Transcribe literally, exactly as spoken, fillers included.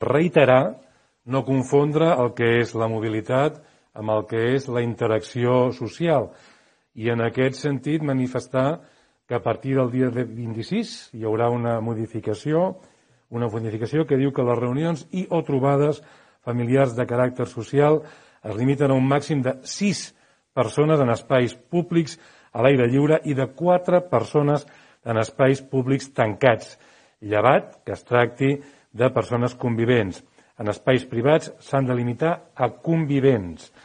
Reiterar, no confondre el que és la mobilitat amb el que és la interacció social. I en aquest sentit manifestar que a partir del dia vint-i-sis hi haurà una modificació, una modificació que diu que les reunions i o trobades familiars de caràcter social es limiten a un màxim de sis persones en espais públics a l'aire lliure i de quatre persones en espais públics tancats, llevat que es tracti de persones convivents. En espais privats s'han de limitar a convivents.